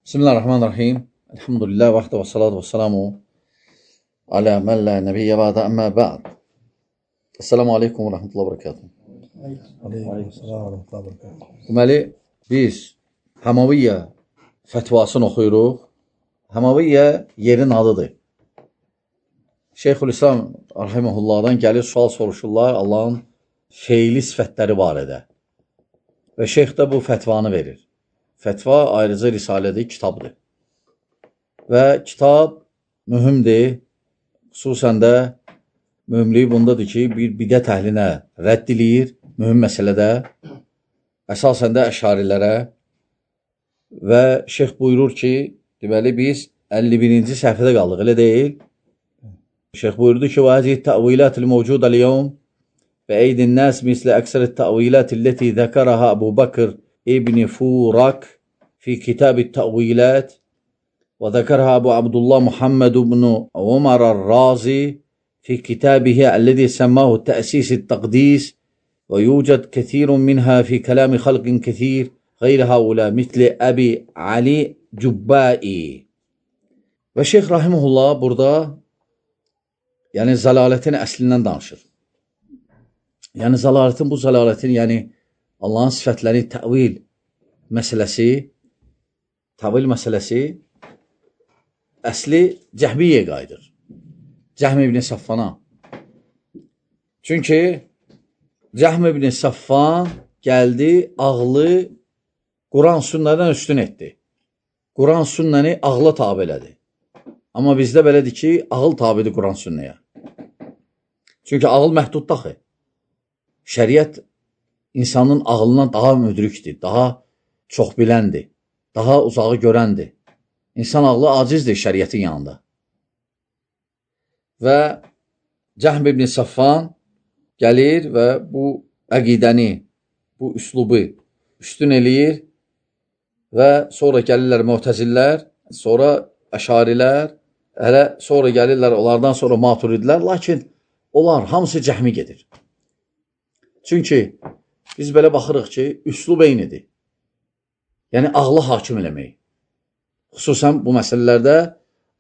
Bismillahirrahmanirrahim. Elhamdülillah və salatu və salamu alə mən lə nəbiyyə bədə əmmə bə'd. Esselamu aleykum və rəhmətullah və bərəkatuhu. Deməli, biz Həmaviyyə fətvasını oxuyuruq. Həmaviyyə yerin adıdır. Şeyxülislam rahiməhullahdan gəlir, sual soruşurlar Allahın feili sifətləri barədə. Və şeyx də bu fətvanı verir. Fətva ayrıca risalədir, kitabdır. Və kitab mühümdir. Xüsusən də mühümliyi bundadır ki, bir bidət əhlinə rədd eləyir, mühüm məsələdə, əsasən də əşarilərə. Və şeyx buyurur ki, deməli biz 51-ci səhvədə qaldıq, elə deyil. Şeyx buyurdu ki, وَهَذِهِ التَّأْوِيلَاتِ الْمَوْجُودَ الْيَوْمِ بَأَيْدِ النَّاسِ مِثْلَ أَكْثَرِ التَّأْوِيلَاتِ التي ذكرها أبو بكر ابن فورك في كتاب التأويلات وذكرها أبو عبد الله محمد بن عمر الرازي في كتابه الذي سماه تأسيس التقديس ويوجد كثير منها في كلام خلق كثير غير هؤلاء مثل أبي علي Cübbai. Və Şeyx Rahimullah burada yəni zəlalətin əslindən danışır. Yəni zəlalətin, bu zəlalətin, yəni Allahın sifətləri təvil məsələsi əsli Cəhmiyyə qayıdır. Cəhm ibn Saffana. Çünki Cəhm ibn Saffan gəldi, ağlı Quran sünnədən üstün etdi. Quran sünnəni ağla tabi elədi. Amma bizdə belədir ki, ağıl tabidir Quran sünnəyə. Çünki ağıl məhduddaxı. Şəriət insanın ağlından daha müdrikdir, daha çox biləndir, daha uzağı görəndir. İnsan ağlı acizdir şəriətin yanında. Və Cəhm ibn Saffan gəlir və bu əqidəni, bu üslubu üstün eləyir və sonra gəlirlər Mu'təzillər, sonra Əşarilər, hələ sonra gəlirlər, onlardan sonra Maturidlər, lakin onlar hamısı Cəhmi gedir. Çünki biz belə baxırıq ki, üslub eynidir. Yəni, ağlı hakim eləmək. Xüsusən bu məsələlərdə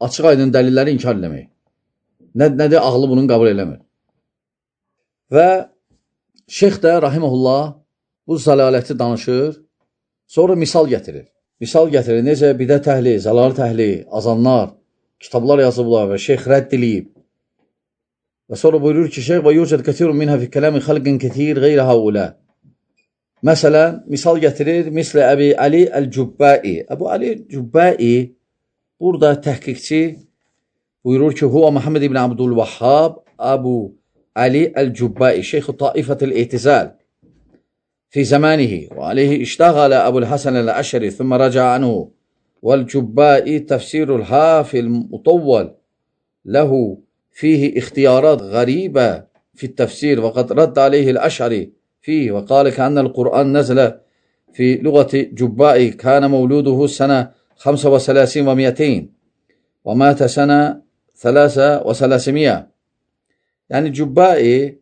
açıq aydın dəlilləri inkar eləmək. Nədir? Ağlı bunun qəbul eləmir. Və şeyx də, rahiməhullah, bu zəlaləti danışır, sonra misal gətirir. Misal gətirir, necə bidət əhli, zəlalət əhli, azanlar, kitablar yazıblar və şeyx rədd eləyib. Və sonra buyurur ki, şeyx və yucad kətirun minhə fi kələmi xalqin kətir qeyrə haula. Məsələn, misal gətirir, mislə Əbi Ali Əl-Cübbai. Əbu Ali Cübbai burada təhqiqçi buyurur ki, Huva Muhammed ibn Abdülvahhab Əbu Ali Əl-Cübbai, şeyx-i taifət el-İtizal fi zamanihi və aleyhi iştəğalə Əbul-Hasən el-Əşəri thumma raca anhu vəl-Cübbai təfsirul hafil mutavval ləhu fihi ixtiyarat qəribə fi təfsir və qad radd aleyhi el-Əşəri فيه وقال كأن القرآن نزل في لغة جبائي كان مولوده سنة 35 و200 ومات سنة 300. Yani Cübbai,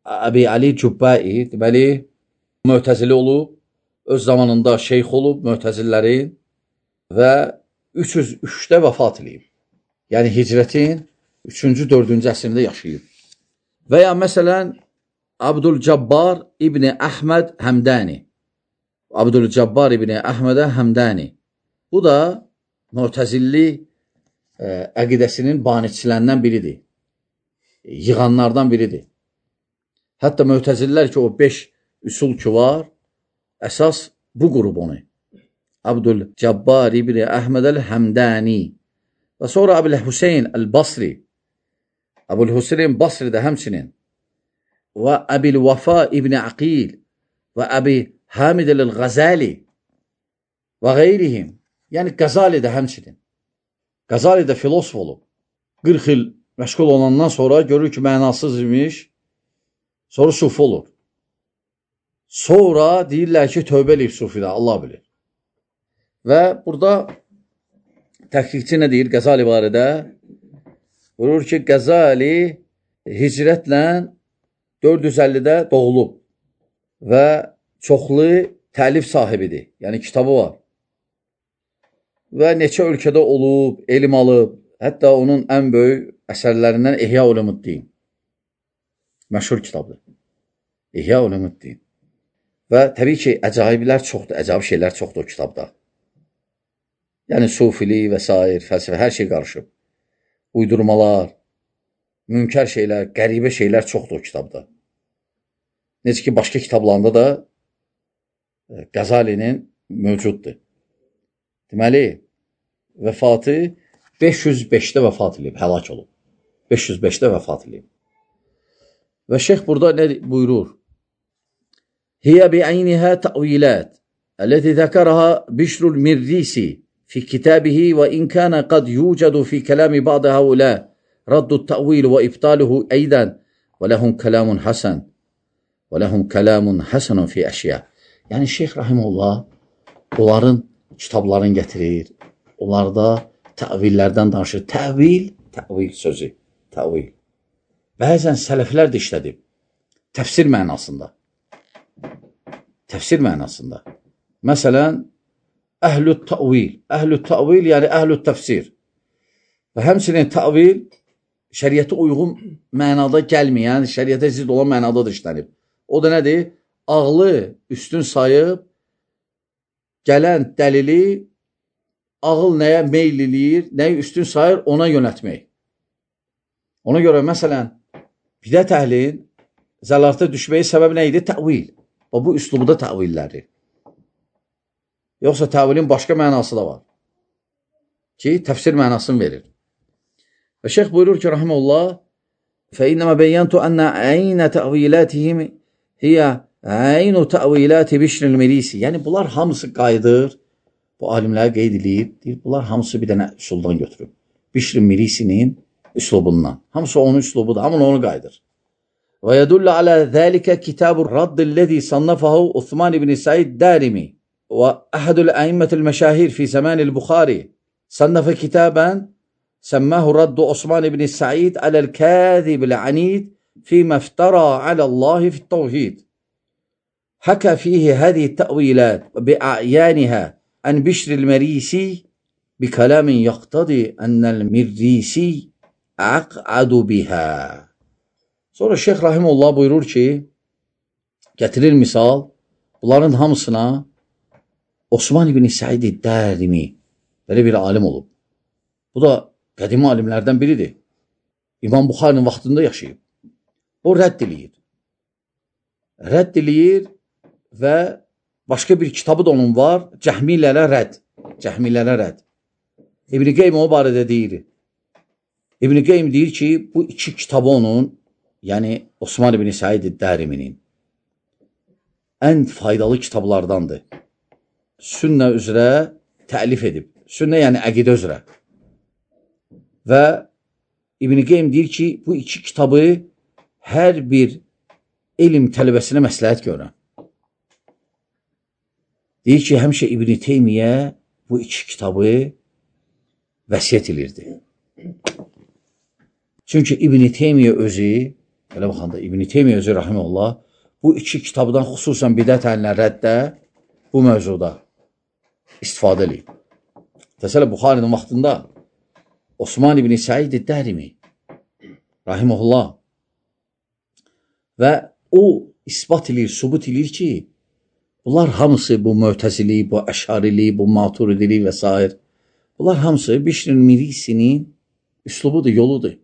Əbi Ali Cübbai deməli Mu'təzili olub, öz zamanında şeyx olub Mu'təzillərin və 303-də vəfat edib. Yəni hicrətin 3-cü, 4-cü əsrində yaşayıb. Və ya məsələn Abdülcabbar İbni Əhməd Həmdani. Abdülcabbar İbni Əhmədə Həmdani. Bu da Mu'təzilli əqidəsinin banitçilərindən biridir. Yığanlardan biridir. Hətta Mu'təzillər ki, o 5 üsul ki var, əsas bu qrup onu. Abdülcabbar İbni Əhməd Həmdani. Və sonra Əbul-Hüseyn Əl-Basri. Əbul-Hüseyn Basri də həmçinin. Və Əbil-Vəfa İbni Aqil və Əbi Hamid el-Ğazali və qeyrihim. Yəni, Qazali də həmçinin. Qazali də filosof olub. 40 il məşğul olandan sonra görür ki, mənasız imiş, sonra sufi olur. Sonra deyirlər ki, tövbə eləyib sufidə, Allah bilir. Və burada təhqiqçi nə deyir Qazali barədə? Buyurur ki, Qazali hicrətlə 450-də doğulub və çoxlu təlif sahibidir. Yəni, kitabı var. və neçə ölkədə olub, elm alıb. Hətta onun ən böyük əsərlərindən İhya Ulumuddin. Məşhur kitabdır. İhya Ulumuddin. Və təbii ki, əcaiblər çoxdur, əcaib şeylər çoxdur o kitabda. Yəni, sufilik və s. fəlsəfə, hər şey qarışıb. Uydurmalar, münkər şeylər, qəribə şeylər çoxdur o kitabda. Necə ki, başqa kitablarında da Qəzalinin mövcuddur. Deməli, vəfatı 505-də vəfat edib, həlak olub. 505-də vəfat edib. Və şeyx burada nə buyurur? Hiyə bi'əynihə tə'vilət əlləti zəkərəhə Bişrul Mirrisi fi kitabihi və in kənə qad yucədu fi kələmi ba'də həulə raddu tə'vil və ibtaluhu əydən və ləhum kələmun həsən və ləhum kələmun həsənun fi əşyə. Yəni, şeyx rahimullah onların kitablarını gətirir. Onlarda təvillərdən danışır. Təvil sözü. Təvil. Bəzən sələflər də işlədib. Təfsir mənasında. Təfsir mənasında. Məsələn, əhlü təvil. Əhlü təvil, yəni əhlü təfsir. Və həmçinin təvil şəriyyətə uyğun mənada gəlməyən, şəriyyətə zidd olan mənada da işlənib. O da nədir? Ağlı üstün sayıb, gələn dəlili ağıl nəyə meyl eləyir, nəyə üstün sayır, ona yönətmək. Ona görə, məsələn, bidət əhlin zəlalətə düşməyi səbəb nə idi? Təvil. Və bu üslubda təvilləri. Yoxsa təvilin başqa mənası da var. Ki, təfsir mənasını verir. Və şeyx buyurur ki, rahimullah, فَإِنَّمَا بَيَّنْتُ أَنَّ عَيْنَ تَأْوِيلَاتِهِمْ هِيَ عَيْنُ تَأْوِيلَاتِ بِشْرِ الْمِرِيسِ. Yəni, bunlar hamısı qayıdır. Bu alimlər qeyd edir. Deyir, bunlar hamısı bir dənə üsuldan götürüb. Bişr Mirisinin üslubundan. Hamısı onun üslubudur. Hamı onu qayıdır. وَيَدُلَّ عَلَى ذَلِكَ كِتَابُ الرَّدِّ الَّذِي صَنَّفَهُ عُثْمَانِ بْنِ سَعِيدٍ الدَّارِمِي وأحد الأئمة المشاهير في زمان البخاري صنف كتابا سماه رد عثمان بن سعيد على الكاذب العنيد فيما افترى على الله في التوحيد. حكى فيه هذه التأويلات بأعيانها عن بشر المريسي بكلام يقتضي أن المريسي أقعد بها. Sonra Şeyx Rahimullah buyurur ki, getirir misal, bunların hamısına Osman ibn Said Dərimi belə bir alim olub. Bu da qədimi alimlərdən biridir. İmam Buxarinin vaxtında yaşayıb. O rədd eləyir. Rədd eləyir və başqa bir kitabı da onun var. Cəhmilərə rədd. Cəhmilərə rədd. İbn Qeym o barədə deyir. İbn Qeym deyir ki, bu iki kitabı onun, yəni Osman ibn Said Dəriminin ən faydalı kitablardandır. Sünnə üzrə təlif edib. Sünnə yəni əqidə üzrə. Və İbn Qeym deyir ki, bu iki kitabı hər bir elm tələbəsinə məsləhət görürəm. Deyir ki, həmişə İbn Teymiyyə bu iki kitabı vəsiyyət edirdi. Çünki İbn Teymiyyə özü, belə baxanda İbn Teymiyyə özü rahimehullah, bu iki kitabdan xüsusən bidət əhlinə rəddə bu mövzuda istifadə edib. Təsəllə Buxarinin vaxtında Osman ibn Said Dərimi rahimehullah və o isbat edir, subut edir ki, bunlar hamısı bu mötəzili, bu əşarili, bu maturidili və s. Bunlar hamısı Bişr Mirisinin üslubudur, yoludur.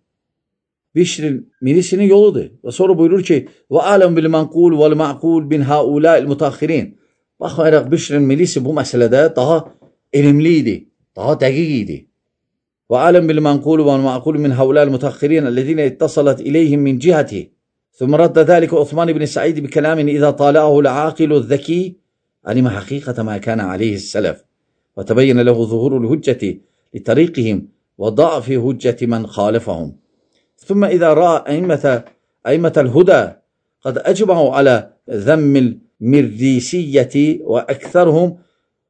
Bişr Mirisinin yoludur. Və sonra buyurur ki, və aləm bil mənqul vəl məqul bin haulâil mutəxxirin. Baxmayaraq Bişr Mirisi bu məsələdə daha elmli idi, daha dəqiq idi. Və aləm bil mənqul vəl məqul min haulâil mutəxxirin əlləzinə ittasalat iləyhim min cihəti. ثم رد ذلك عثمان بن سعيد بكلام إذا طالعه العاقل الذكي علم حقيقة ما كان عليه السلف وتبين له ظهور الهجة لطريقهم وضعف هجة من خالفهم. ثم إذا رأى أئمة الهدى قد أجمعوا على ذم المرديسية وأكثرهم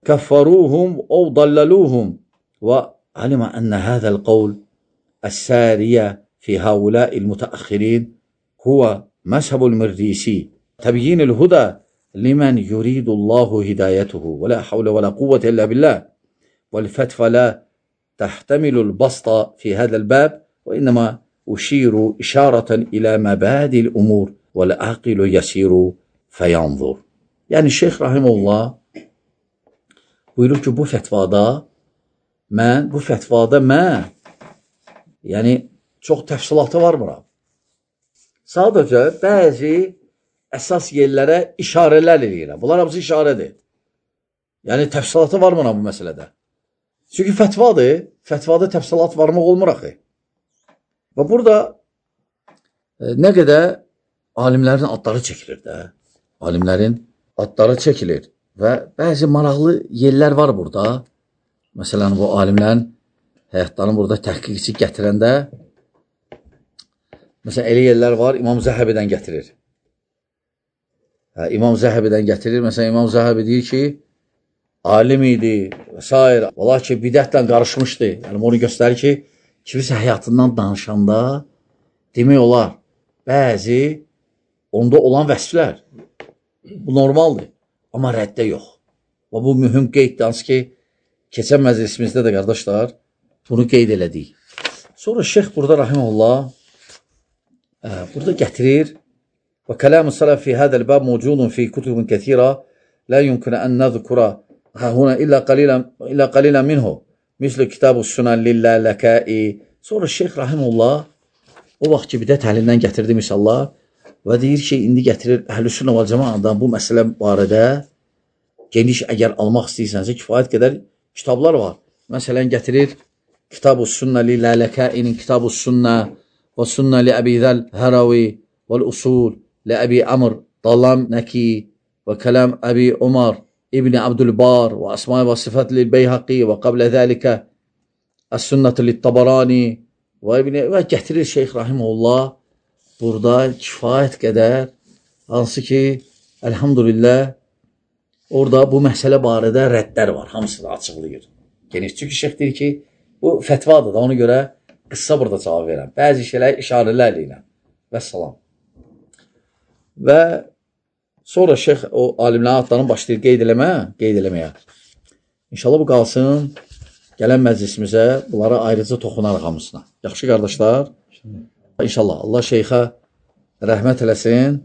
كفروهم أو ضللوهم وعلم أن هذا القول السارية في هؤلاء المتأخرين هو مذهب المرديسي تبيين الهدى لمن يريد الله هدايته ولا حول ولا قوة إلا بالله والفتوى لا تحتمل البسط في هذا الباب وإنما أشير إشارة إلى مبادئ الأمور والعاقل يسير فينظر. Yəni Şeyx Rahimullah buyurur ki, bu fətvada mən yəni çox təfsilatı varmıram. Sadəcə bəzi əsas yerlərə işarələr eləyirəm. Bunlar hamısı işarədir. Yəni təfsilatı varmıram bu məsələdə. Çünki fətvadır, fətvada təfsilat varmaq olmur axı. Və burada nə qədər alimlərin adları çəkilir də. Alimlərin adları çəkilir və bəzi maraqlı yerlər var burada. Məsələn, bu alimlərin həyatlarını burada təhqiqçi gətirəndə məsələn, elə yerlər var, İmam Zəhəbidən gətirir. İmam Zəhəbidən gətirir. Məsələn, İmam Zəhəbi deyir ki, alim idi və s. Valla ki, bidətlə qarışmışdı. Yəni, onu göstərir ki, kimisə həyatından danışanda demək olar, bəzi onda olan vəsflər. Bu normaldır. Amma rəddə yox. Və bu mühüm qeyddir. Hansı ki, keçən məclisimizdə də qardaşlar bunu qeyd elədik. Sonra Şeyx burada Rahimullah burada gətirir və kəlam-ı salaf fi hədəl bəb mövcudun fi kutubun kəthira la yumkun ən nəzkura huna illa qalilan minhu misli kitab-ı sunan lillələkai. Sonra Şeyx Rahimullah o vaxt ki, bidət əhlindən gətirdi misallar və deyir ki, indi gətirir Əhl-i Sünnə və Cəmaədən bu məsələ barədə geniş əgər almaq istəyirsənsə kifayət qədər kitablar var. Məsələn, gətirir Kitab-ı Sünnə lillələkainin Kitab-ı Sünnə və Sünnə li Əbi Zəl Hərəvi və Usul li Əbi Amr Dallam Nəki və Kəlam Əbi Umar İbni Abdülbar və Əsma və Sifət li Beyhaqi və qablə zəlikə Əs-Sünnət li Tabarani və gətirir Şeyx Rahimullah burada kifayət qədər, hansı ki, əlhamdülillah, orada bu məsələ barədə rəddlər var, hamısını açıqlayır. Geniş, çünki Şeyx deyir ki, bu fətvadır da, ona görə qıssa burada cavab verəm. Bəzi şeylər işarələr ilə. Vəssalam. Və sonra Şeyx o alimlərin adlarını başlayır qeyd eləməyə. İnşallah bu qalsın, gələn məclisimizə bunlara ayrıca toxunarıq hamısına. Yaxşı qardaşlar? İnşallah. Allah Şeyxə rəhmət eləsin.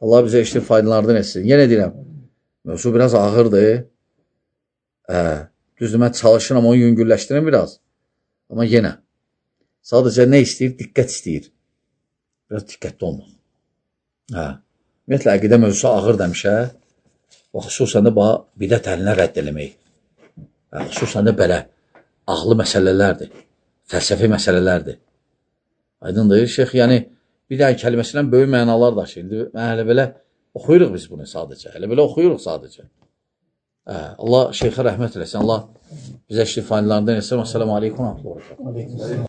Allah bizə işli faydalardan etsin. Yenə deyirəm, mövzu biraz ağırdır. Düzdür, mən çalışıram, onu yüngülləşdirim biraz. Amma yenə, sadəcə nə istəyir? Diqqət istəyir. Biraz diqqətli olmaq. Ümumiyyətlə, əqidə mövzusu ağır demişə, və xüsusən də bidət əhlinə rədd eləmək. Xüsusən də belə ağlı məsələlərdir, fəlsəfi məsələlərdir. Aydındır, Şeyx, yəni bir dənə kəlməsindən böyük mənalar daşıyır. Mən hələ belə oxuyuruq biz bunu sadəcə. Hələ belə oxuyuruq sadəcə. Allah Şeyxə rəhmət eləsin. Allah bizə şifalarından etsin. Əssəlamu aleykum.